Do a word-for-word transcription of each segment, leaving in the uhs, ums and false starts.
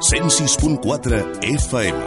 cent sis punt quatre F M.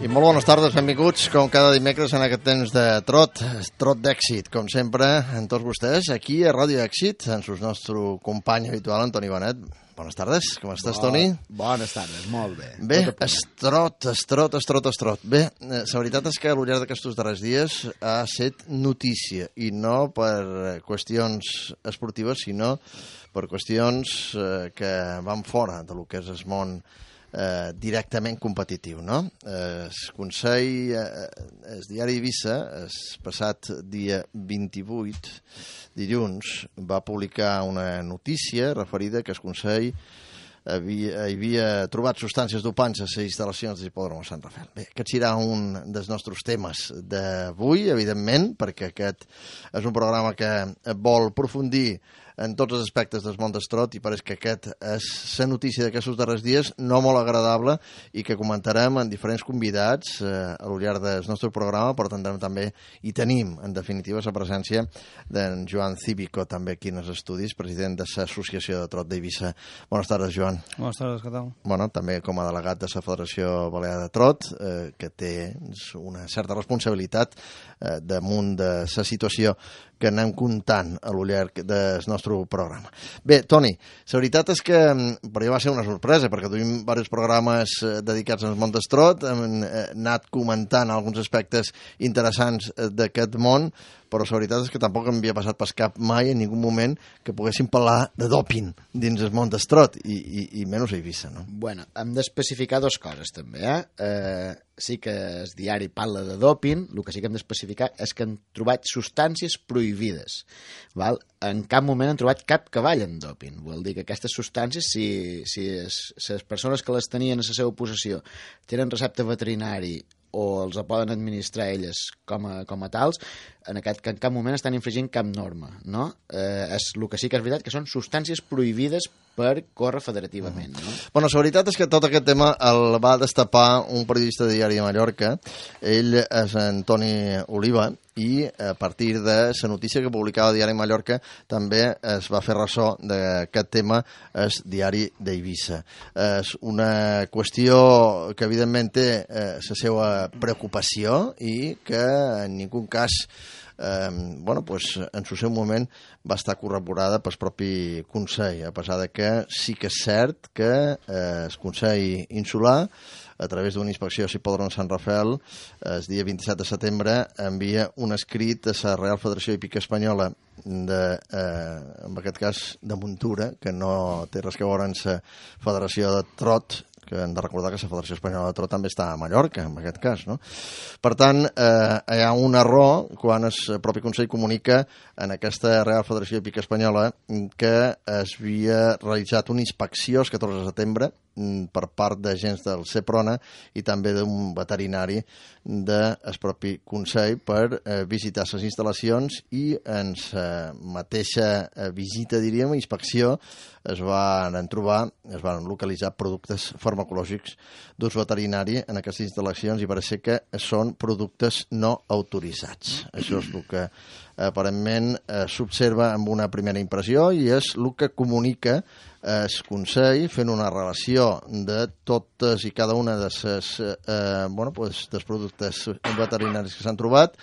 I molt bones tardes, benvinguts, com cada dimecres en aquest temps de trot, trot d'èxit, com sempre, en tots vostès, aquí a Ràdio Èxit, en el nostre company habitual, Antoni Benet. Bones tardes, com estàs, Bo, Toni? Bones tardes, molt bé. Bé, estrot, estrot, estrot, estrot. Bé, la veritat és que al llarg d'aquests darrers dies ha estat notícia, i no per qüestions esportives, sinó per qüestions eh, que van fora de lo que és el món Eh, directament competitiu, no? Eh, el Consell, eh, el diari Eivissa, el passat dia vint-i-vuit, dilluns, va publicar una notícia referida que el Consell havia, havia trobat substàncies dopants a les instal·lacions de l'hipòdrom de Sant Rafael. Bé, aquest serà un dels nostres temes d'avui, evidentment, perquè aquest és un programa que vol aprofundir en tots els aspectes del món d'estrot i pareix que aquest és la notícia d'aquests darrers dies no molt agradable i que comentarem amb diferents convidats eh, a lo llarg del nostre programa, però tindrem també i tenim, en definitiva, la presència d'en Joan Cívico, també aquí en els estudis, president de l'Associació de Trot d'Eivissa. Bones tardes, Joan. Bones tardes, què tal? Bueno, també com a delegat de la Federació Balear de Trot, eh, que té una certa responsabilitat eh, damunt de la situació que anem comptant a lo llarg del nostre programa. Bé, Toni, la veritat és que per jo va ser una sorpresa, perquè duim diversos programes dedicats al món d'estrot, hem anat comentant alguns aspectes interessants d'aquest món, però la veritat és que tampoc em havia passat per cap mai en ningú moment que poguéssim parlar de doping dins el món d'estrot, i, i, i menys a Eivissa, no? Bueno, hem d'especificar dues coses, també, eh? eh? Sí que el diari parla de doping, el que sí que hem d'especificar és que han trobat substàncies prohibides, val? En cap moment han trobat cap cavall en doping. Vol dir que aquestes substàncies, si, si es, les persones que les tenien a la seva possessió tenen recepte veterinari o els poden administrar elles com a, com a tals, en aquest en cap moment estan infringint cap norma, no? Eh, és, el que sí que és veritat que són substàncies prohibides per córrer federativament, no? Bueno, la veritat és que tot aquest tema el va destapar un periodista de Diari de Mallorca. Ell és Antoni Oliva, i a partir de la notícia que publicava el Diari de Mallorca també es va fer ressò d'aquest tema el Diari d'Eivissa. És una qüestió que evidentment té eh, la seva preocupació i que en ningú cas Eh, bueno, pues, en el seu moment va estar corroborada pel propi Consell, a pesar de que sí que és cert que eh, el Consell Insular, a través d'una inspecció a l'hipòdrom de Sant Rafael, el dia vint-i-set de setembre envia un escrit a la Real Federació Hípica Espanyola, de, eh, en aquest cas de muntura, que no té res que veure amb la Federació de Trot, que hem de recordar que la Federació Espanyola de Trot també està a Mallorca, en aquest cas, no? Per tant, eh, hi ha un error quan el propi Consell comunica en aquesta Real Federació Hípica Espanyola que es havia realitzat una inspecció el catorze de setembre per part d'agents del CEPRONA i també d'un veterinari del propi Consell per eh, visitar les instal·lacions, i en la mateixa visita, diríem, inspecció, es van trobar, es van localitzar productes farmacològics d'ús veterinari en aquestes instal·lacions i pareix que són productes no autoritzats. Això és el que aparentment eh, s'observa amb una primera impressió i és el que comunica el Consell, fent una relació de totes i cada una de les, eh, bueno, pues, dels productes veterinaris que s'han trobat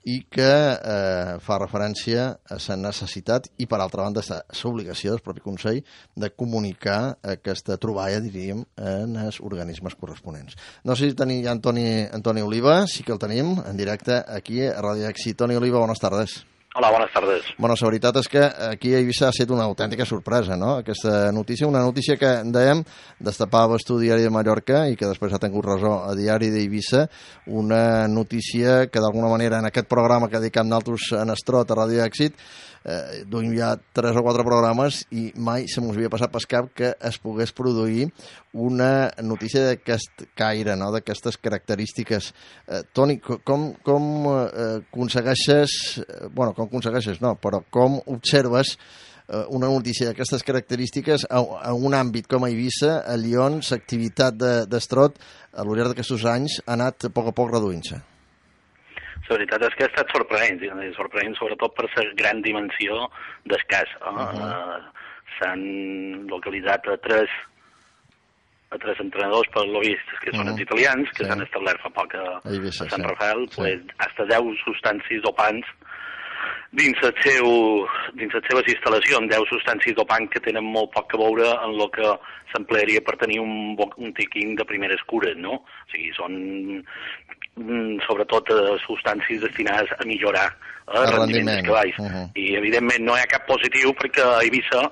i que eh, fa referència a la necessitat i, per altra banda, l'obligació del propi Consell de comunicar aquesta troballa, diríem, en els organismes corresponents. No sé si tenim ja Antoni, Antoni Oliva, sí que el tenim en directe aquí a Ràdio Èxit. Toni Oliva, bones tardes. Hola, bones tardes. Bueno, la veritat és que aquí a Eivissa ha estat una autèntica sorpresa, no?, aquesta notícia, una notícia que, dèiem, destapava el Diari de Mallorca i que després ha tingut ressò a Diari d'Eivissa, una notícia que d'alguna manera en aquest programa que dediquem d'altres en Estrot a Ràdio Èxit eh, duim ja tres o quatre programes i mai se mos havia passat per cap que es pogués produir una notícia d'aquest caire, no?, d'aquestes característiques. Eh, Toni, com, com eh, aconsegueixes, bueno, com aconsegueixes, no, però com observes una notícia d'aquestes característiques a, a un àmbit com a Eivissa, a Lyon, l'activitat d'estrot a lo llarg d'aquests anys ha anat a poc a poc reduint-se. La veritat és que ha estat sorprenent, sorprenent sobretot per la gran dimensió del cas. Eh? Uh -huh. uh, S'han localitzat a tres, a tres entrenadors per lobistes, que uh -huh. són els italians, que s'han sí. establert fa poc a, a, Eivissa, a Sant sí. Rafael, sí. pues, hasta deu substàncies dopants dins les seu, dins les seves instal·lacions, deu substàncies dopants que tenen molt poc a veure en el que s'emplearia per tenir un, un tiquín de primeres cures, no? O sigui, són sobretot eh, substàncies destinades a millorar eh, el rendiment dels cavalls. Uh -huh. I, evidentment, no hi ha cap positiu perquè a Eivissa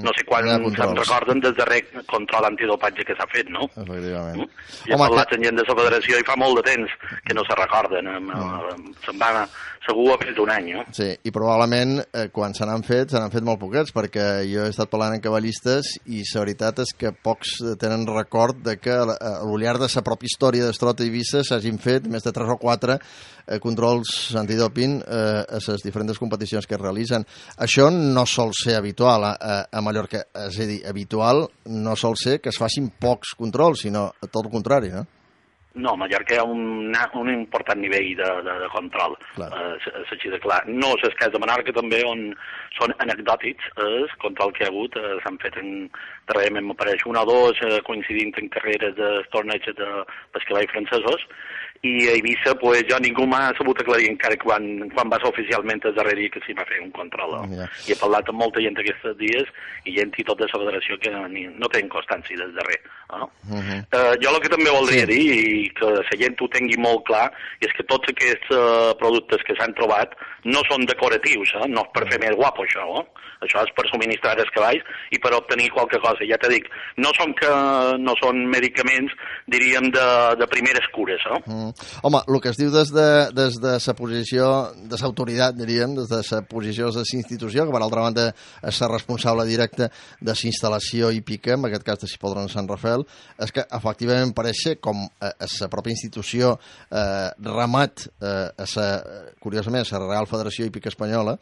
no sé quan se'n recorden del darrer control antidopatge que s'ha fet, no? Efectivament. Mm? I he parlat amb gent de la federació i fa molt de temps que no se recorden. Mm. Se'n va segur a més d'un any, no? Sí, i probablement eh, quan se n'han fet, se n'han fet molt poquets, perquè jo he estat parlant amb cavallistes i la veritat és que pocs tenen record de que a lo llarg de la pròpia història d'Estrot a Eivissa s'hagin fet més de tres o quatre eh, controls antidoping eh, a les diferents competicions que es realitzen. Això no sol ser habitual a, a, a Mallorca, és a dir, habitual no sol ser que es facin pocs controls, sinó tot el contrari, no? No, a Mallorca hi ha un, un important nivell de, de, de control, eh, així de clar. No és el cas de Menorca, també, on són anecdòtics els controls que hi ha hagut, eh, s'han fet en, darrerament m'apareix un o dos, eh, coincidint en carreres de torneigs de pescavalls francesos, i a Eivissa, pues, jo ningú m'ha sabut aclarir encara quan, quan va ser oficialment el darrer dia que s'hi va fer un control. No? Yeah. I he parlat amb molta gent aquests dies i gent i tot de la federació que ni, no tenen constància del darrer. No? Uh -huh. uh, jo el que també voldria sí. dir, i que la gent ho tingui molt clar, és que tots aquests uh, productes que s'han trobat no són decoratius, eh? No és per fer més guapo això, eh? Això és per subministrar els cavalls i per obtenir qualque cosa. Ja t'he dit, no són, que, no són medicaments, diríem, de, de primeres cures. Eh? Mm. Home, el que es diu des de, des de la posició de l'autoritat, diríem, des de la posició de la institució, que per altra banda és la responsable directa de la instal·lació hípica, en aquest cas de Hipòdrom Sant Rafael, és que efectivament pareix ser com a, a la pròpia institució eh, remat eh, a sa, curiosament, a la Real Federació Hípica Espanyola,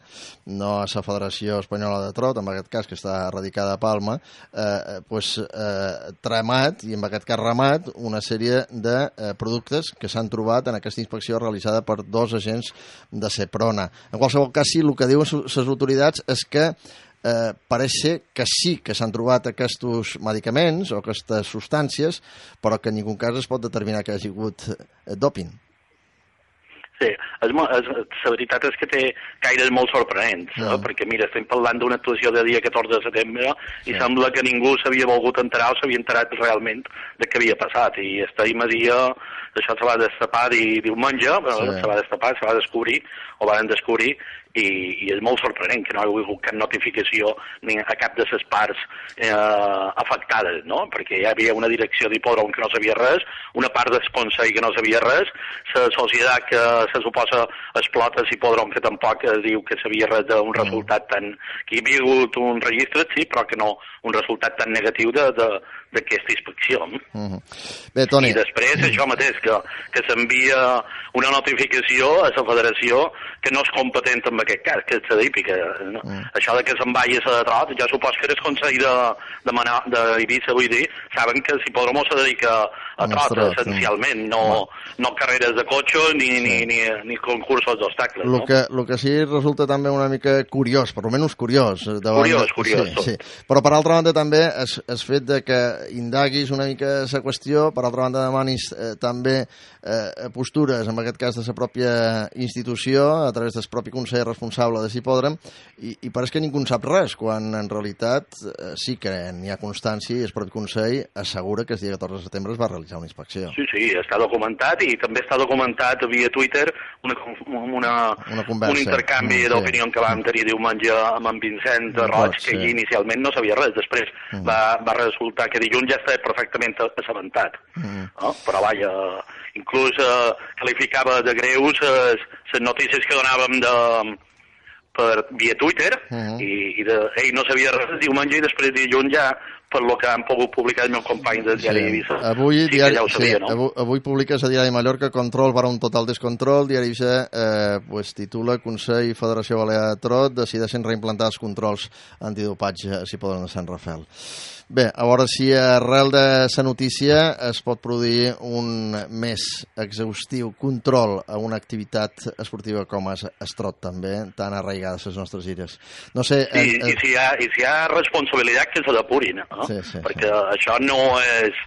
no a la Federació Espanyola de Trot, en aquest cas, que està radicada a Palma, eh, pues, eh, tramat, i en aquest cas ramat, una sèrie de eh, productes que s'han trobat en aquesta inspecció realitzada per dos agents de Seprona. En qualsevol cas, sí, el que diuen les autoritats és que eh, pareix ser que sí que s'han trobat aquests medicaments o aquestes substàncies, però que en ningú cas es pot determinar que hi hagi hagut eh, doping. Sí, és, és, la veritat és que té caires molt sorprenents, no. eh? Perquè mira, estem parlant d'una actuació de dia catorze de setembre i sí. Sembla que ningú s'havia volgut enterar o s'havia enterat realment de què havia passat, i estem a dia, això se va destapar i diumenge, sí. se va destapar, se va descobrir, o van descobrir, i, i és molt sorprenent que no hi hagi hagut cap notificació ni a cap de les parts eh, afectades, no? Perquè hi havia una direcció d'hipòdrom que no sabia res, una part del Consell que no sabia res, la societat que se suposa explota l'hipòdrom que tampoc es diu que sabia res d'un resultat tan... que hi havia hagut un registre, sí, però que no un resultat tan negatiu de, de, d'aquesta inspecció. Uh-huh. Bé, Toni... I després, això mateix, que, que s'envia una notificació a la federació que no és competent en aquest cas, que és la hípica. No? Uh-huh. Això de que se'n vagi a la Trot, jo supos que el Consell de, de, Mana, de Eivissa, vull dir, saben que l'hipòdromo se dedica a Trot, trot essencialment, no, uh-huh. no carreres de cotxe ni, sí. ni, ni, ni concursos d'obstacles. El no? que, lo que sí resulta també una mica curiós, per almenys curiós. Curiós, de... curiós. Sí, sí. Però per altra banda també és, és fet de que indaguis una mica la qüestió, per altra banda demanis eh, també eh, postures, en aquest cas de la pròpia institució, a través del propi Consell responsable de l'hipòdrom, i, i pareix que ningú en sap res, quan en realitat eh, sí que n'hi ha constància i el propi Consell assegura que el dia catorze de setembre es va realitzar una inspecció. Sí, sí, està documentat, i també està documentat via Twitter una, una, una conversa, un intercanvi mm, d'opinió sí. que vam tenir diumenge amb en Vincent Roig, que sí. inicialment no sabia res, després mm. va, va resultar que dilluns ja estava perfectament assabentat. Mm. No? Però vaja, inclús eh, qualificava de greus les notícies que donàvem de, per via Twitter, mm. i, i de, ell no sabia res diumenge i després dilluns ja per lo que han pogut publicar el meu company del diari sí. Eivissa. Avui, sí, diari, ja ho sabia, sí, no? avui, avui publiques a Diari Mallorca Control para un total descontrol. Diari Eivissa eh, pues, titula Consell i Federació Balear de Trot decideixen reimplantar els controls antidopatge si poden a Sant Rafel. Bé, a veure si arrel de la notícia es pot produir un més exhaustiu control a una activitat esportiva com es, es trot també, tan arraigada a les nostres illes. No sé... Sí, eh, eh... i, si hi ha, i si hi ha responsabilitat que se depurin, no? Sí, sí, perquè sí. Això no és...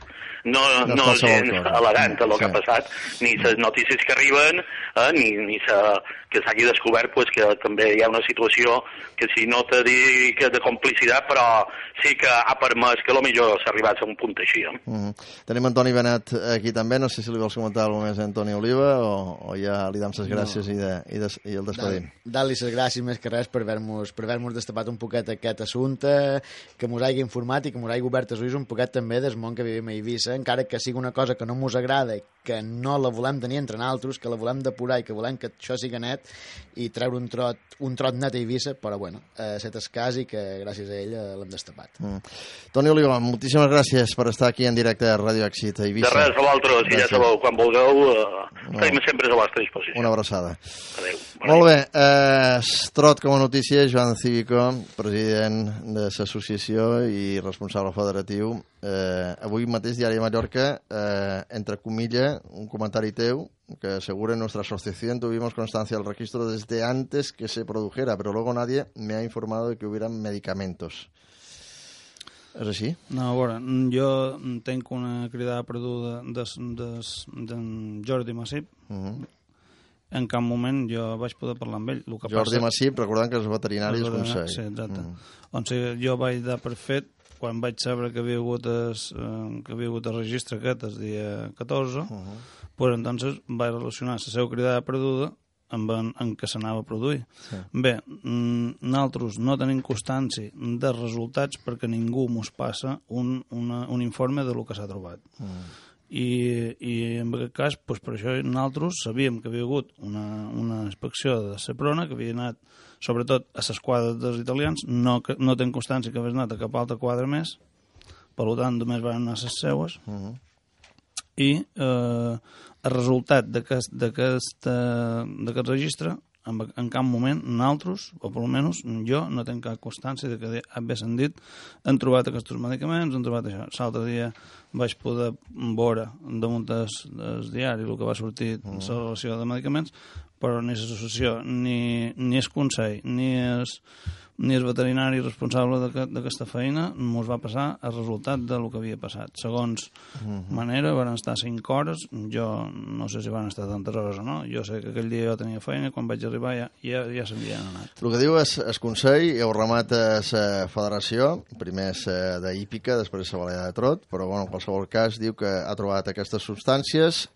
no, no, no és gens elegant el sí. que ha passat, ni les notícies que arriben, eh, ni, ni sa, que s'hagi descobert pues, que també hi ha una situació que si no te dic de complicitat, però sí que ha permès que potser s'arribés a un punt així. Eh? Mm -hmm. Tenim Antoni Benet aquí també, no sé si li vols comentar alguna més a Antoni Oliva o, o ja li dam les gràcies no. i, de, i, des, i el despedim. Dar-li les gràcies més que res per haver-nos per haver destapat un poquet aquest assumpte, que mos hagi informat i que mos hagi obert els ulls un poquet també del món que vivim a Eivissa, encara que sigui una cosa que no mos agrada, que no la volem tenir entre nosaltres, que la volem depurar i que volem que això sigui net i treure un trot, un trot net a Eivissa, però bueno, eh, set el cas i que gràcies a ell eh, l'hem destapat. Mm. Toni Oliva, moltíssimes gràcies per estar aquí en directe a Ràdio Èxit a Eivissa. De res, a vosaltres, i ja sabeu, quan vulgueu, eh, estem sempre a la vostra disposició. Una abraçada. Adéu. Molt bé, eh, trot com a notícia, Joan Cívico, president de l'associació i responsable federatiu. Eh, avui mateix Diari de Mallorca, eh, entre comillas, un comentari teu, que asegura en nuestra asociación tuvimos constancia del registro desde antes que se produjera, pero luego nadie me ha informado de que hubieran medicamentos. És així? No, a veure, jo tenc una cridada perduda d'en Jordi Massip. Uh -huh. En cap moment jo vaig poder parlar amb ell. El que Jordi passa... Massip, recordant que és veterinari del Consell. Sí, exacte. Uh -huh. On sigui, jo vaig dar per fet, quan vaig saber que havia hagut es, eh, que havia hagut el registre aquest el dia catorze, uh -huh. pues entonces vaig relacionar la seva cridada perduda amb en, en què s'anava a produir. Sí. Bé, nosaltres no tenim constància de resultats perquè ningú mos passa un, una, un informe de lo que s'ha trobat. Uh -huh. I, i en aquest cas, pues, per això nosaltres sabíem que havia hagut una, una inspecció de Seprona, que havia anat sobretot a les quadres dels italians, no, que, no ten constància que hagués anat a cap altre quadre més, per tant només van anar a les seues, uh -huh. i eh, el resultat d'aquest registre, en, en cap moment nosaltres, o per almenys jo, no tenc cap constància de que haguessin dit han trobat aquests medicaments, han trobat això. L'altre dia vaig poder veure damunt del diari el que va sortir en la relació de medicaments, però ni l'associació, ni, ni el Consell, ni el, ni el veterinari responsable d'aquesta feina ens va passar el resultat del que havia passat. Segons uh-huh. manera, van estar cinc hores, jo no sé si van estar tantes hores o no, jo sé que aquell dia jo tenia feina, quan vaig arribar ja, ja, ja s'havien anat. El que diu és el Consell, i ho remata la federació, primer és d'hípica, després la Balear de Trot, però bueno, en qualsevol cas diu que ha trobat aquestes substàncies,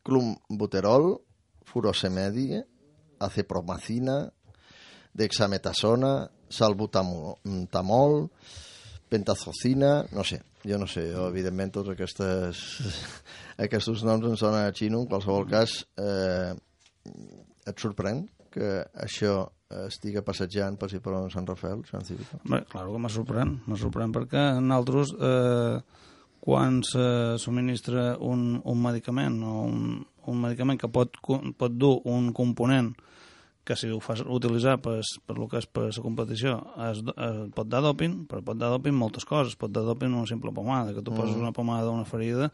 clumbuterol, furosemedi, acepromacina, dexametasona, salbutamol, pentazocina, no sé, jo no sé, jo, evidentment tots aquestes, aquests noms em sonen a xino, en qualsevol cas eh, et sorprèn que això estiga passejant per si per Sant Rafel, Sant Cívico? Bé, clar que me sorprèn, me sorprèn perquè nosaltres eh, quan se subministra un, un medicament o un, un medicament que pot, pot dur un component que si ho fas utilitzar per, per lo que és per la competició es, es pot dar doping, però pot dar doping moltes coses, pot dar doping una simple pomada, que tu mm. poses una pomada d'una ferida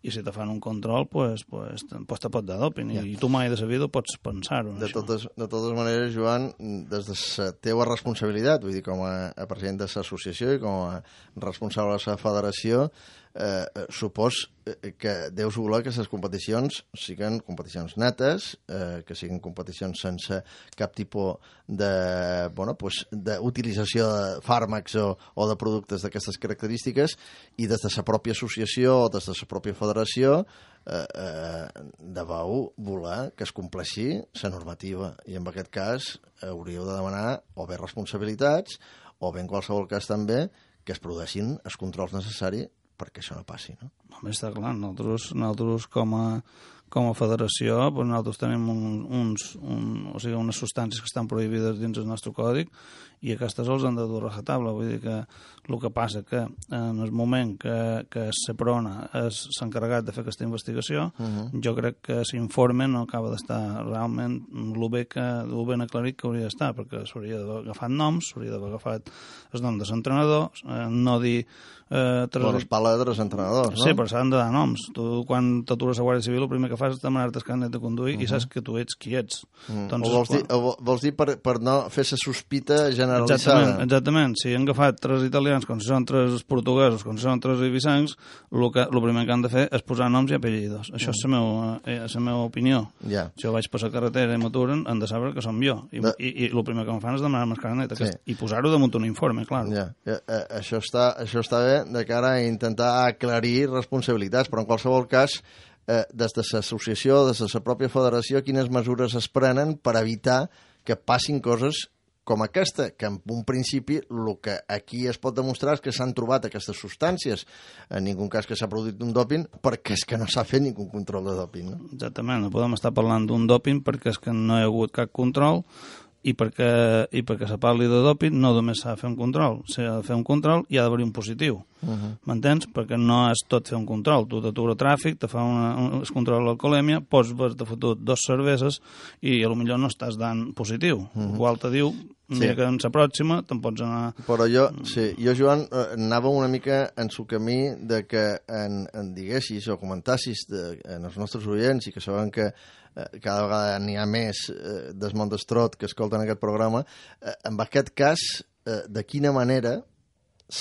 i si te fan un control, pues, pues, pues te pot dar doping, yeah. i tu mai de sa vida pots pensar-ho. De totes, de totes maneres, Joan, des de la teua responsabilitat, vull dir, com a, a president de l'associació i com a responsable de la federació, eh, supos que deus voler que les competicions siguin competicions netes, eh, que siguin competicions sense cap tipus de, bueno, pues, d'utilització de fàrmacs o, o de productes d'aquestes característiques, i des de la pròpia associació o des de la pròpia federació eh, eh, deveu voler que es compleixi la normativa, i en aquest cas hauríeu de demanar o bé responsabilitats o bé en qualsevol cas també que es produeixin els controls necessaris perquè això no passi, no? Home, està clar, nosaltres, nosaltres com, a, com a federació, doncs nosaltres tenim un, uns, un, o sigui, unes substàncies que estan prohibides dins el nostre còdic i aquestes els han de dur a rajatabla. Vull dir que el que passa que en el moment que, que Seprona s'ha encarregat de fer aquesta investigació, uh -huh. jo crec que l'informe no acaba d'estar realment el bé, que, el ben aclarit que hauria d'estar, perquè s'hauria d'haver agafat noms, s'hauria d'haver agafat el nom dels entrenadors, eh, no dir... Eh, tres... Però es parla de tres entrenadors, no? Sí, però s'han de dar noms. Tu, quan t'atures a Guàrdia Civil, el primer que fas és demanar-te el carnet de conduir uh -huh. i saps que tu ets qui ets. Uh -huh. Entonces, o vols, dir, o vols dir per, per no fer la sospita generalitzada? Exactament, exactament. Si han agafat tres italians, com si són tres portuguesos, com si són tres ibisancs, el, que, el primer que han de fer és posar noms i apellidos. Això uh -huh. és la meva, eh, la meva opinió. Yeah. Si jo vaig per la carretera i m'aturen, han de saber que som jo. I, de... i, i el primer que em fan és demanar-me el carnet sí. i posar-ho damunt un informe, clar. Yeah. Eh, eh, això, està, això està bé de cara a intentar aclarir responsabilitats, però en qualsevol cas, eh, des de l'associació, des de la pròpia federació, quines mesures es prenen per evitar que passin coses com aquesta, que en un principi el que aquí es pot demostrar és que s'han trobat aquestes substàncies. En ningú cas que s'ha produït un dòping, perquè és que no s'ha fet ningú control de dòping. No? Exactament, no podem estar parlant d'un dòping perquè és que no hi ha hagut cap control, i perquè, i perquè se parli de dòping no només s'ha de fer un control, s'ha de fer un control i ha d'haver un positiu. Uh-huh. M'entens? Perquè no és tot fer un control. Tu t'atura tràfic, te fa una, un control de l'alcoholèmia, pots haver-te fotut dos cerveses i potser no estàs dant positiu. Uh-huh. Igual te diu, mira sí. que en la pròxima te'n pots anar... Però jo, sí, jo, Joan, anava una mica en su camí de que en, en diguessis o comentassis de, en els nostres oients i que saben que cada vegada n'hi ha més eh, del món d'Estrot que escolten aquest programa, eh, en aquest cas, eh, de quina manera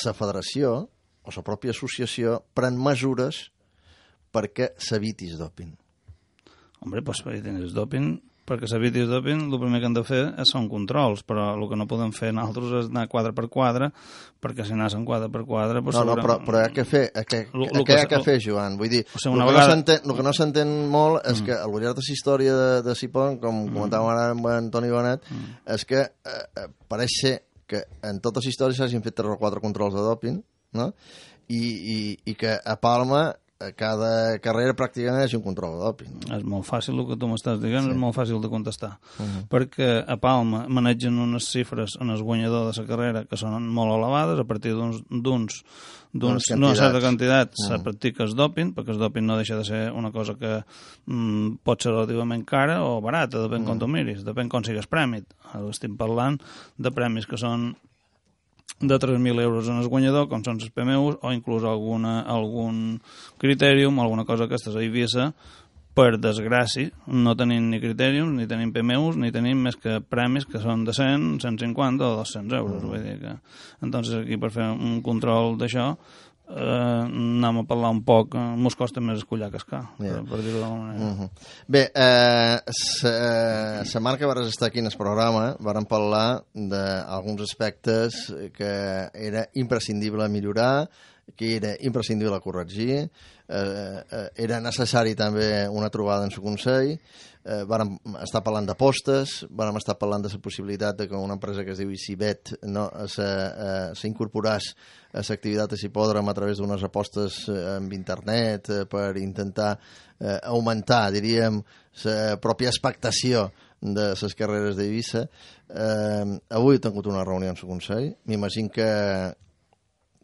la federació o la pròpia associació pren mesures perquè s'eviti el dòping? Hombre, pues per evitar el dòping, perquè s'eviti el dòping, el primer que hem de fer són controls, però el que no podem fer nosaltres és anar quadre per quadre, perquè si anaves en quadre per quadre... Pues no, no, però, però hi ha que fer, que, lo, lo què hi ha que fer, Joan? Vull dir, o sigui, el, que vegada... no el que no s'entén molt és mm. que al llarg de la història de, de Sipon, com mm. comentàvem ara amb en Toni Bonet, mm. és que eh, pareix ser que en totes les històries s'hagin fet tres o quatre controls de dòping, no? I, i, i que a Palma a cada carrera pràcticament és un control de dòping. És molt fàcil el que tu m'estàs dient, sí. És molt fàcil de contestar. Uh -huh. Perquè a Palma manegen unes xifres en el guanyador de la carrera que són molt elevades, a partir d'uns d'uns d'una certa quantitat uh -huh. se practica el dòping, perquè el dòping no deixa de ser una cosa que mm, pot ser relativament cara o barata, depèn uh -huh. com tu miris, depèn com sigues prèmit. Ara estem parlant de premis que són de tres mil euros en el guanyador, com són els P M Us, o inclús alguna, algun critèrium, alguna cosa que estàs a Eivissa, per desgràcia, no tenim ni critèriums, ni tenim P M Us, ni tenim més que premis que són de cent, cent cinquanta o dos-cents euros. Mm. Vull dir que... Entonces, aquí, per fer un control d'això, eh, anem a parlar un poc, eh, mos costa més escollar cascar, yeah. per, per dir-ho d'alguna manera. Uh -huh. Bé, eh, la setmana que vas estar aquí en el programa vàrem parlar d'alguns aspectes que era imprescindible millorar, que era imprescindible corregir, eh, eh, era necessari també una trobada en el Consell, eh, vàrem estar parlant d'apostes, vàrem estar parlant de la possibilitat de que una empresa que es diu Icibet no, s'incorporàs a l'activitat de l'hipòdrom a través d'unes apostes en internet eh, per intentar eh, augmentar, diríem, la pròpia expectació de les carreres d'Eivissa. Eh, avui he tingut una reunió en el Consell, m'imagino que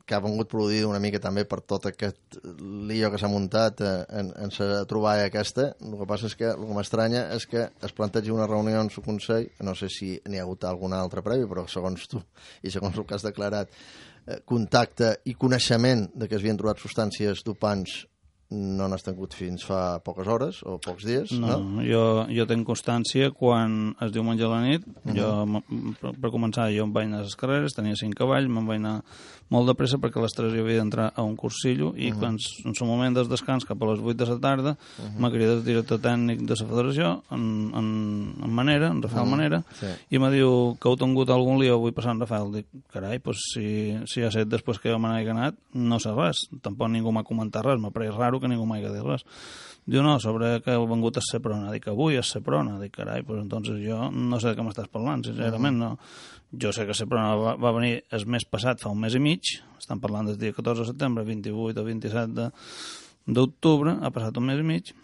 que ha vengut produir una mica també per tot aquest lío que s'ha muntat en, en la troballa aquesta. El que passa és que el que m'estranya és que es plantegi una reunió en el Consell, no sé si n'hi ha hagut alguna altra prèvia, però segons tu i segons el que has declarat, eh, contacte i coneixement de que es havien trobat substàncies dopants no n'has tingut fins fa poques hores o pocs dies, no? No, jo, jo tinc constància quan es diumenge a la nit, uh -huh. jo, per, per començar, jo em vaig anar a les carreres, tenia cinc cavalls, me'n vaig anar molt de pressa perquè a les tres jo havia d'entrar a un cursillo i uh -huh. quan en el moment del descans cap a les vuit de la tarda uh -huh. m'ha cridat el director tècnic de la federació en, en, en Manera, en Rafael uh -huh. Manera, sí. I m'ha dit que heu tingut algun lío avui passant Rafael. Dic, carai, pues, si, si ha set després que jo me n'he anat, no sé res, tampoc ningú m'ha comentat res, m'ha pareix raro que ningú m'hagi dit res. Diu, no, sobre que heu vengut a Seprona. Dic, avui a Seprona. Dic, carai, pues entonces jo no sé de què m'estàs parlant, sincerament, no. Jo sé que Seprona va, va venir el mes passat, fa un mes i mig, estan parlant del dia catorze de setembre, vint-i-vuit o vint-i-set d'octubre, ha passat un mes i mig,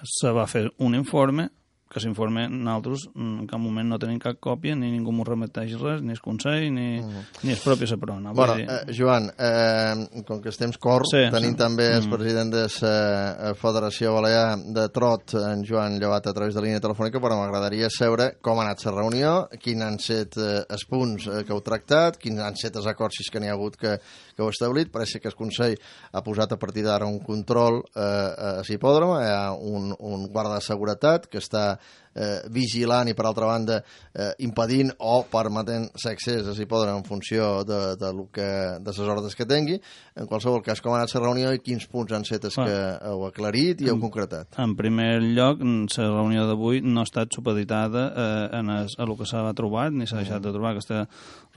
se va fer un informe, que s'informe, nosaltres en cap moment no tenim cap còpia, ni ningú m'ho remeteix res, ni el Consell, ni, uh-huh. ni el propi Seprona. Bueno, dir... eh, Joan, eh, com que estem cor, sí, tenim sí. també el president de la Federació Balear de Trot, en Joan Llevat, a través de línia telefònica, però m'agradaria saber com ha anat la reunió, quins han set eh, els punts eh, que heu tractat, quins han set els acords si que n'hi ha hagut que, que heu establit. Pareix que el Consell ha posat a partir d'ara un control eh, a l'hipòdrom, hi ha un, un guarda de seguretat que està Eh, vigilant i per altra banda eh, impedint o permetent l'accés a l'hipòdrom en funció de, de, lo que, de les ordres que tingui. En qualsevol cas, com ha anat la reunió i quins punts han set els que heu aclarit i heu en, concretat? En primer lloc, la reunió d'avui no ha estat supeditada eh, en es, a el que s'ha trobat, ni s'ha deixat de trobar. Aquesta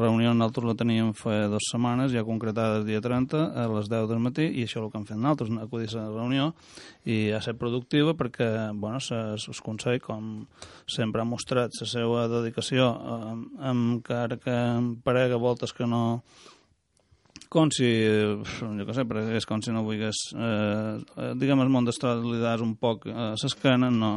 reunió nosaltres la teníem fa dues setmanes, ja concretada el dia trenta, a les deu del matí, i això és el que hem fet nosaltres, acudir a la reunió, i ha estat productiva perquè, bueno, el Consell, com sempre ha mostrat la seva dedicació, eh, encara que em parega voltes que no, com si, jo què sé, és com si no vulgués, eh, diguem, el món d'estrada li das un poc a l'esquena, no,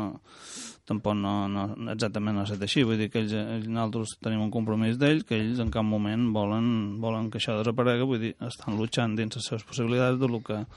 tampoc no, no, exactament no ha estat així, vull dir que ells, ells, nosaltres tenim un compromís d'ells, que ells en cap moment volen, volen que això desaparega, vull dir, estan luchant dins les seves possibilitats de lo que...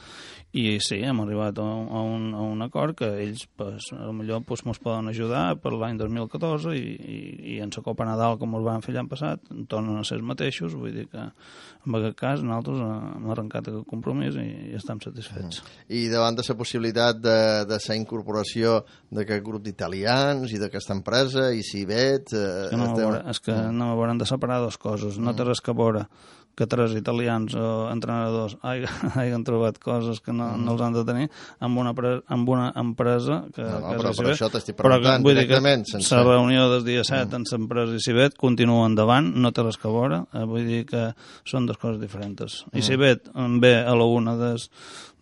I sí, hem arribat a un, a un acord que ells, pues, potser pues, ens poden ajudar per l'any dos mil catorze i, i, i en la Copa Nadal, com ens van fer l'any passat, tornen a ser els mateixos, vull dir que en aquest cas nosaltres hem arrencat aquest compromís i, i estem satisfets. Mm. I davant de la possibilitat de, de la incorporació d'aquest grup d'italians i d'aquesta empresa, i Cibet... Eh, és que, no estem... veure, és que mm. no m'hauran de separar dues coses, no té res que veure que tres italians o entrenadors hagin trobat coses que no, mm. no els han de tenir amb una, pre amb una empresa que, no, no, que però és per Cibet. això t'estic preguntant vull dir que sense... la reunió del dia set mm. en l'empresa i Cibet continua endavant, no té res que veure, eh, vull dir que són dues coses diferents. Mm. I Cibet ve a la una des,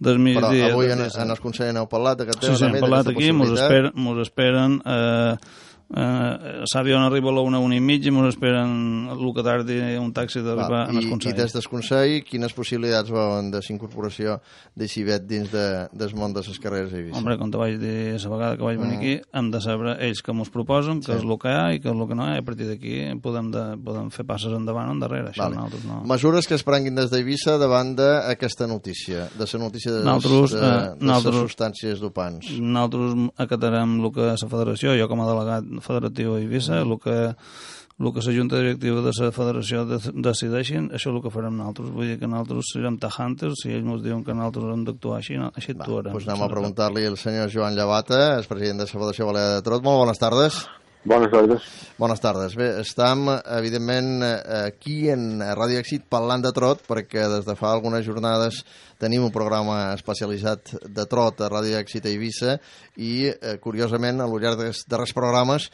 des migdia... Però avui en, en el Consell n'heu parlat d'aquest tema? Sí, sí, hem parlat aquí, mos esperen, mos esperen eh, Uh, l'avió arriba a la una, una i mitja i ens esperen el que tardi un taxi d'arribar al Consell. I des del Consell, quines possibilitats veuen de la incorporació de Cibet dins de, del món de les carreres d'Eivissa? Hombre, com te vaig dir la vegada que vaig venir uh -huh. aquí, hem de saber ells que ens proposen, que sí. és el que hi ha i que és el que no hi ha, i a partir d'aquí podem, de, podem fer passes endavant o endarrere. Això vale. No... Mesures que es prenguin des d'Eivissa davant d'aquesta notícia, de la notícia de, nosaltres, de, eh, de les substàncies dopants. Nosaltres acatarem el que la federació, jo com a delegat federatiu a Eivissa, el que el que la junta directiva de la federació decideixin, això és el que farem nosaltres. Vull dir que nosaltres serem tajantes, si ells ens diuen que nosaltres hem d'actuar així, no, així actuarem. Doncs anem a preguntar-li al senyor Joan Llevata, el president de la Federació Balear de Trot. Molt bones tardes. Bones tardes. Bones tardes. Bé, estem, evidentment, aquí en Ràdio Èxit parlant de trot, perquè des de fa algunes jornades tenim un programa especialitzat de trot a Ràdio Èxit a Eivissa i, eh, curiosament, al llarg dels darrers programes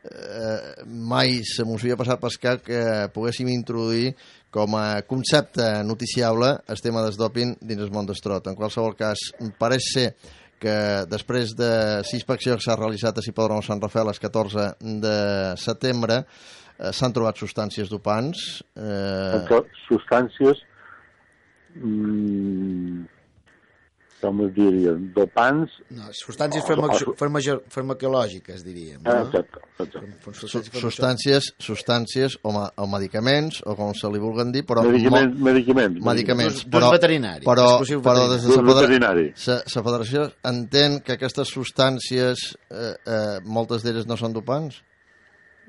eh, mai se mos havia passat per cap que poguéssim introduir com a concepte noticiable el tema del doping dins el món del trot. En qualsevol cas, pareix ser que després de la inspecció que s'ha realitzat a l'hipòdrom Sant Rafael el catorze de setembre eh, s'han trobat substàncies dopants. Eh... Substàncies mmm, com es diria, dopants... No, substàncies farmacològiques, diríem. No? Exacte, exacte. Substàncies, substàncies o, ma o medicaments, o com se li vulguen dir, però... Medicaments, medicaments. Medicaments, però, veterinari. Però, però des de la veterinari. La federació entén que aquestes substàncies, eh, eh, moltes d'elles no són dopants?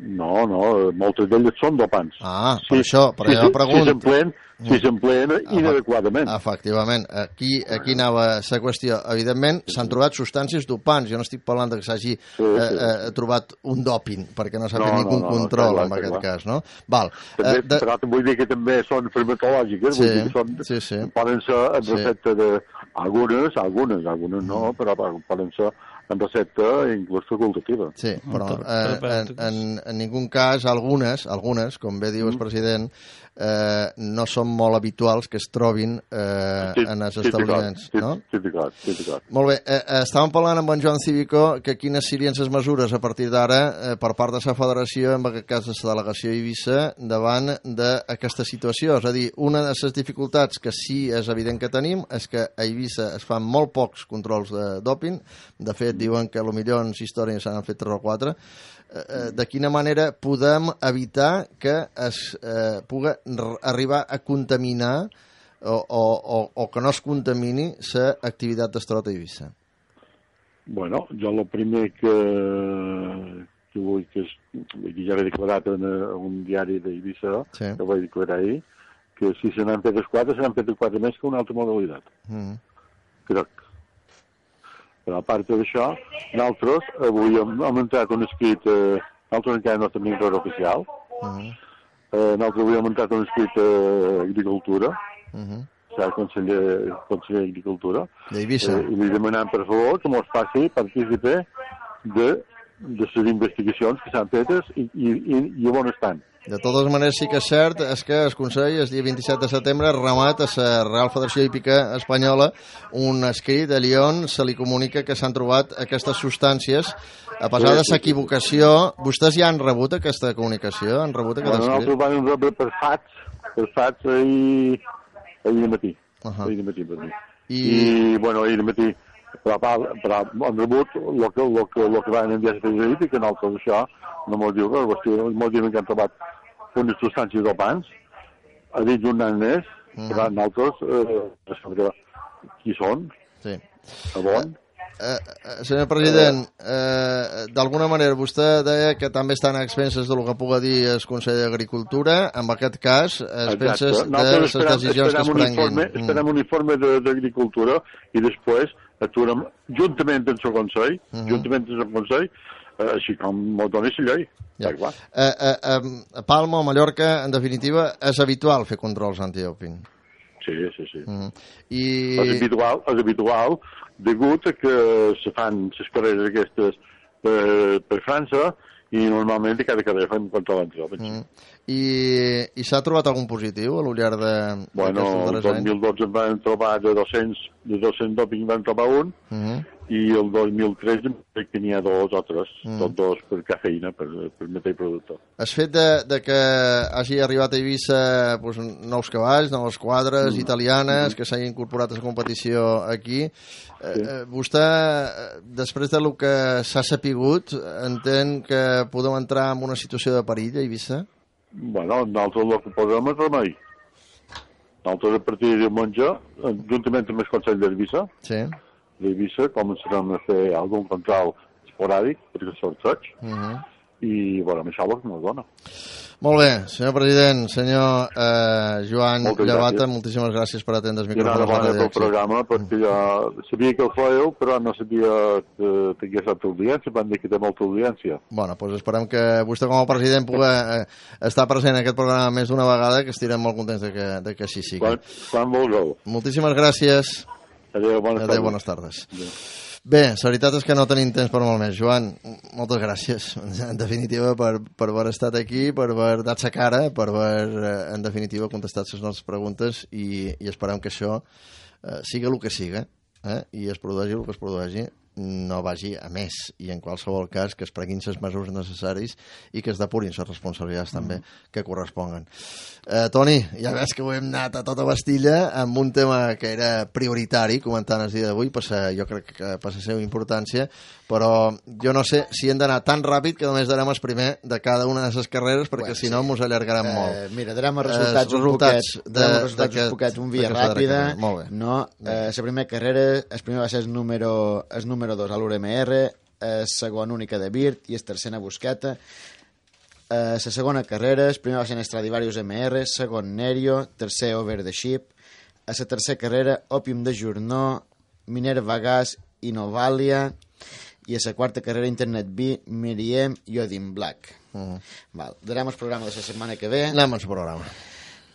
No, no, moltes d'elles són dopants. Ah, per sí, això, per sí, allò pregunto. Si s'empleen, si s'empleen inadequadament. Efectivament, aquí, aquí anava la qüestió. Evidentment, s'han trobat substàncies dopants. Jo no estic parlant que s'hagi sí, sí. eh, eh, trobat un dòping, perquè no s'ha fet no, ningú no, no, control no, en aquest clar. cas, no? Val. També, eh, de... Però vull dir que també són farmacològiques, sí, vull dir que són, sí, sí. poden ser en sí. recepta de... Algunes, algunes, algunes no, però poden ser en recepta inclús facultativa. Sí, però eh, en, en, en ningú cas, algunes, algunes, com bé diu el president, eh, no són molt habituals que es trobin eh, sí, en els sí, establiments, sí, no? Sí, sí, clar, sí, clar. Molt bé, eh, estàvem parlant amb en Joan Cívico que quines serien les mesures a partir d'ara eh, per part de la federació, en aquest cas de la delegació Eivissa, davant d'aquesta situació. És a dir, una de les dificultats que sí és evident que tenim és que a Eivissa es fan molt pocs controls de doping. De fet, diuen que potser en la història s'han fet tres o quatre. Eh, de quina manera podem evitar que es eh, pugui arribar a contaminar o, o, o, o que no es contamini l'activitat d'estrot a Eivissa? Bueno, jo el primer que, que vull que, és, que ja l'he declarat en un diari d'Eivissa, sí. Que vaig declarar ahir, que si se n'han fet els quatre, se n'han fet els quatre més que una altra modalitat. Mm. Crec. Però a part d'això, nosaltres avui hem, hem entrat un escrit, eh, nosaltres encara no tenim res oficial, mm. eh, nosaltres avui hem entrat un escrit d'Agricultura, uh -huh. o sigui, conseller, conseller d'Agricultura, d'Eivissa, eh, i li demanem per favor que mos faci partícipe de, de les investigacions que s'han fetes i, i, i, i on estan. De totes maneres, sí que és cert és que el Consell, el dia vint-i-set de setembre, remat a la Real Federació Hípica Espanyola un escrit allà on se li comunica que s'han trobat aquestes substàncies. A pesar de l'equivocació, vostès ja han rebut aquesta comunicació? Han rebut aquest bueno, escrit? Nosaltres vam rebre per fax, per fax ahir, ahir matí. Uh -huh. Ahir matí per mi. I... I, bueno, ahir matí, però, però han rebut el que, lo que, lo que van enviar a la Hípica, que nosaltres això no mos diu res, mos diuen que han trobat unes substàncies dopants, ha dit un any més, uh -huh. però nosaltres, eh, saber qui són, sí. A on. Uh, uh, senyor president, uh, d'alguna manera vostè deia que també estan a expenses del que pugui dir el Consell d'Agricultura, en aquest cas, a expenses de les decisions que es prenguin. Informe, esperem un informe d'Agricultura i després actuarem juntament amb el Consell, uh -huh. juntament amb el Consell, uh, així com m'ho doni la llei. Ja. Uh, uh, a Palma o Mallorca, en definitiva, és habitual fer controls antidoping. Sí, sí, sí. Uh -huh. I... És habitual, és habitual, degut a que se fan les carreres aquestes per, per França i normalment cada carrera fan control antidoping. Mm. I, i s'ha trobat algun positiu a l'ullar de... Bueno, el dos mil dotze en van trobar de dos-cents, de dos-cents doping van trobar un, uh -huh. i el dos mil tretze crec que n'hi ha dos o tres, uh -huh. tots dos per cafeïna, per, per mateix producte. El fet de, de que hagi arribat a Eivissa pues, nous cavalls, noves quadres mm. italianes, mm. que s'hagi incorporat a la competició aquí, sí. eh, vostè, després del que s'ha sapigut, entén que podeu entrar en una situació de perill a Eivissa? Bueno, nosaltres el que posem és remei. Nosaltres a partir de diumenge, juntament amb el Consell d'Eivissa, sí. d'Eivissa començarem a fer algun control esporàdic, perquè sorteig, uh -huh. i bueno, això és el que ens dona. Molt bé, senyor president, senyor eh, Joan Moltes Llevata, gràcies. Moltíssimes gràcies per atendre els micròfons. I enhorabona pel programa, perquè jo sabia que el fèieu, però no sabia que tingués altra audiència, van dir que té molta audiència. Bueno, doncs esperem que vostè com a president pugui eh, estar present en aquest programa més d'una vegada, que estirem molt contents de que, de que així sigui. Quan, quan vulgueu. Moltíssimes gràcies. Adéu, bones Adéu, tardes. bones tardes. Adéu. Bé, la veritat és que no tenim temps per molt més. Joan, moltes gràcies, en definitiva, per, per haver estat aquí, per haver dat sa cara, per haver, en definitiva, contestat les nostres preguntes i, i esperem que això eh, siga el que siga, eh, i es produeixi el que es produeixi, no vagi a més, i en qualsevol cas que es prenguin les mesures necessaris i que es depurin les responsabilitats també mm. que corresponguen. Eh, Toni, ja veus que ho hem anat a tota pastilla amb un tema que era prioritari, comentant el dia d'avui, jo crec que per la seva importància, però jo no sé si hem d'anar tan ràpid que només darem el primer de cada una de les carreres, perquè bueno, si no sí. mos allargarem eh, molt. Mira, darem els resultats, eh, un resultats poquet, de, els resultats un poquet, un via ràpida. No, eh, la primera carrera, el primer va ser el número, el número dos a l'U R M R, el segon única de Birt i el tercer a Busqueta. La segona carrera, el primer va ser en Stradivarius M R, segon Nerio, tercer Over the Ship. A la tercera carrera, Opium de Journaux, Minerva Gas i Novalia. I a la quarta carrera, Internet B, Miriem i Odin Black. Uh -huh. Val, darem el programa de la setmana que ve. Anem al programa.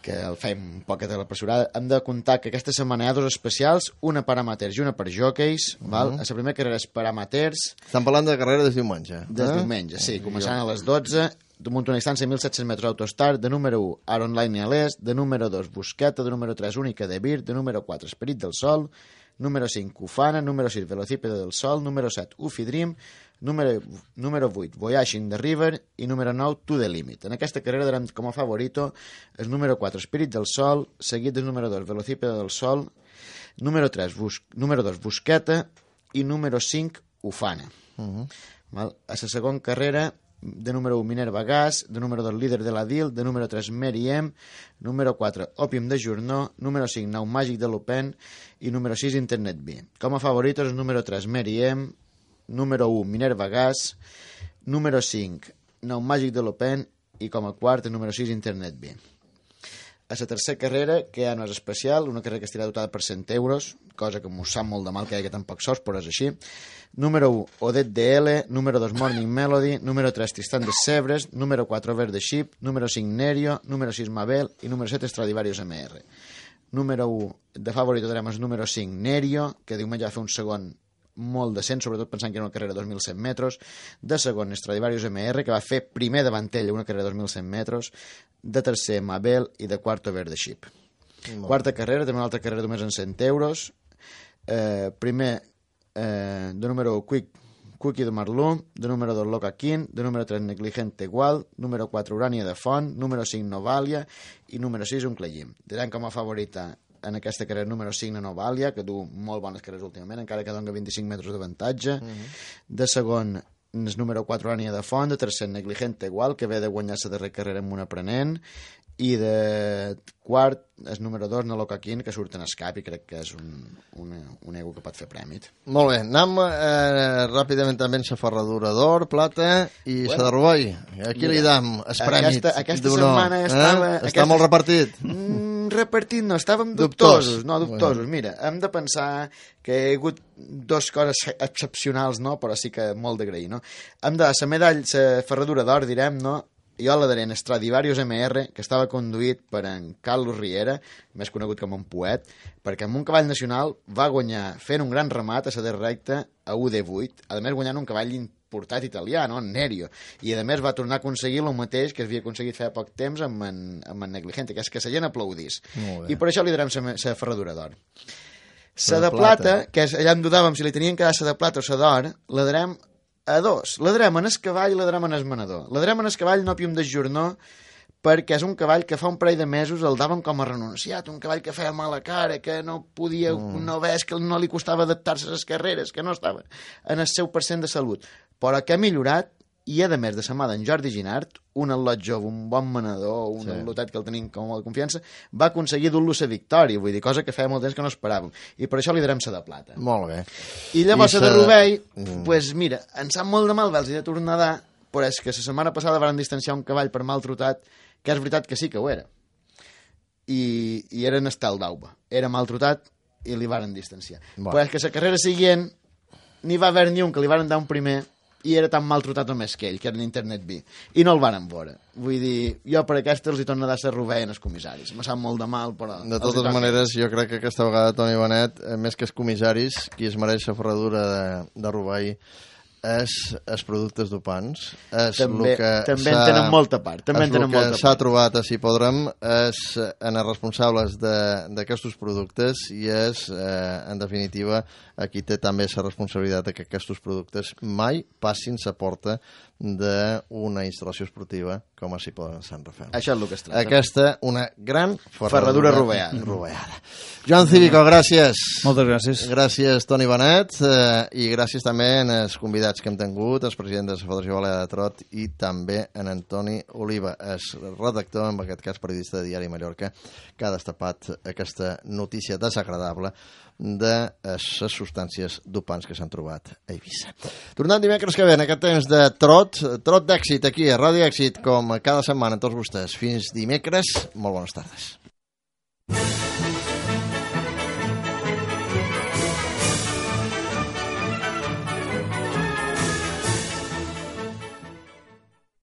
Que el fem un poquet a la pressurada. Hem de comptar que aquesta setmana hi ha dos especials, una per amateurs i una per jockeys. Uh -huh. Val? A la primera carrera és per amateurs. Estan parlant de carrera des diumenge. Des eh? diumenge, sí. Començant a les dotze damunt una distància de mil set-cents metres autostar, de número u, Aron Line a l'est, de número dos, Busqueta, de número tres, Única de Vir, de número quatre, Esperit del Sol, número cinc, Ufana, número sis, Velocípede del Sol, número set, Ufi Dream, número, número vuit, Voyaging the River i número nou, To the Limit. En aquesta carrera darem com a favorito el número quatre, Spirit del Sol, seguit del número dos, Velocípede del Sol, número tres, Bus, número dos, Busqueta i número cinc, Ufana. Uh-huh. Val? A la segona carrera, de número u, Minerva Gas, de número dos, Líder de la D I L, de número tres, Mary M, número quatre, Opium de Journaux, número cinc, Nau Màgic de Lupin i número sis, Internet B. Com a favoritos, el número tres, Mary M, número u, Minerva Gas, número cinc, Nau Màgic de Lupin i com a quart, el número sis, Internet B. A la tercera carrera, que ja no és especial, una carrera que estarà dotada per cent euros, cosa que m'ho sap molt de mal que hi hagi tan pocs sols, però és així. Número u, Odette D L, número dos, Morning Melody, número tres, Tristan de Sebres, número quatre, Over the Ship, número cinc, Nerio, número sis, Mabel i número set, Stradivarius M R. Número u, de favorito tenim el número cinc, Nerio, que diumenge va fer un segon molt decent, sobretot pensant que era una carrera de dos mil cent metres. De segon, Stradivarius M R, que va fer primer davant ell una carrera de dos mil cent metres. De tercer, Mabel, i de quart, Over the Ship. Molt. Quarta carrera, també una altra carrera només en cent euros. Eh, primer, eh, de número u, Quick, Cookie de Marlum, de número dos, Loca King, de número tres, Negligente Gual, número quatre, Urania de Font, número cinc, Novalia i número sis, Unclejim. Diran com a favorita en aquesta carrera número cinc, Novalia, que du molt bones carreres últimament, encara que dona vint-i-cinc metres d'avantatge. Uh-huh. De segon, el número quatre, Urania de Font, de tercer, Negligente Igual, que ve de guanyar la darrera carrera amb un aprenent, i de quart, el número dos, Noloca King, que surt en escap i crec que és un, un, un ego que pot fer prèmit. Molt bé, anem eh, ràpidament també en la ferradura d'or, plata i bueno, la de Rovell. Aquí li dam el prèmit. Aquesta, aquesta setmana estava... Eh? Està aquesta... molt repartit. Mm, repartit no, estàvem dubtosos. No, dubtosos. Bueno. Mira, hem de pensar que hi ha hagut dues coses excepcionals, no? Però sí que molt d'agrair, no? Hem de, la medalla, la ferradura d'or, direm, no? Jo la daré en Stradivarius M R, que estava conduït per en Carlos Riera, més conegut com un poet, perquè amb un cavall nacional va guanyar fent un gran remat a la darrera recta a U D vuit, a més guanyant un cavall importat italià, no? En Nerio, i a més va tornar a aconseguir el mateix que havia aconseguit fer poc temps amb en, amb en Negligente, que és que la gent aplaudís. I per això li darem la ferradura d'or. La de plata, plata, que allà em dudàvem si li tenien que dar la de plata o la d'or, la darem a dos. La darem en el cavall i la darem en el manador. La darem en el cavall, no Opium de Journaux, perquè és un cavall que fa un parell de mesos el daven com a renunciat, un cavall que feia mala cara, que no podia, mm. no ves, que no li costava adaptar-se a les carreres, que no estava en el seu percent de salut, però que ha millorat, i a més de sa mà d'en Jordi Ginart, un al·lot jove, un bon manador, un sí. al·lotet que el tenim com molt de confiança, va aconseguir dur-lo la victòria, vull dir, cosa que feia molt temps que no esperàvem, i per això li darem sa de plata. Molt bé. I llavors I sa de Rovell, mm. pues mira, em sap molt de mal vels i de tornar a dar, però és que la setmana passada van distanciar un cavall per mal trotat, que és veritat que sí que ho era. I, i era en Estel d'Auba. Era mal trotat i li varen distanciar. Bueno. Però és que la carrera següent n'hi va haver ni un que li varen dar un primer i era tan mal trotat o més que ell, que era en Internet B. I no el varen veure. Vull dir, jo per aquesta els hi torno a dar la Rovell en els comissaris. Me sap molt de mal, però... De totes maneres, jo crec que aquesta vegada, Toni Benet, més que els comissaris, qui es mereix la ferradura de, de Rovell és els productes dopants. És també que també en tenen molta part. També en tenen molta part. El que s'ha trobat, si podrem, és en els responsables d'aquests productes i és, eh, en definitiva, aquí té també la responsabilitat que aquests productes mai passin la porta d'una instal·lació esportiva com a si poden Sant Rafael. Això és el que es tracta. Aquesta, una gran ferradura, ferradura rovellada. rovellada. Joan Cívico, gràcies. Moltes gràcies. Gràcies, Toni Benet, eh, i gràcies també als convidats que hem tingut, el president de la Federació Balear de Trot i també en Antoni Oliva, el redactor, en aquest cas periodista de Diari Mallorca, que ha destapat aquesta notícia desagradable de les substàncies dopants que s'han trobat a Eivissa. Tornant dimecres que ve en aquest temps de trot, trot d'èxit aquí a Ràdio Èxit, com cada setmana amb tots vostès. Fins dimecres, molt bones tardes.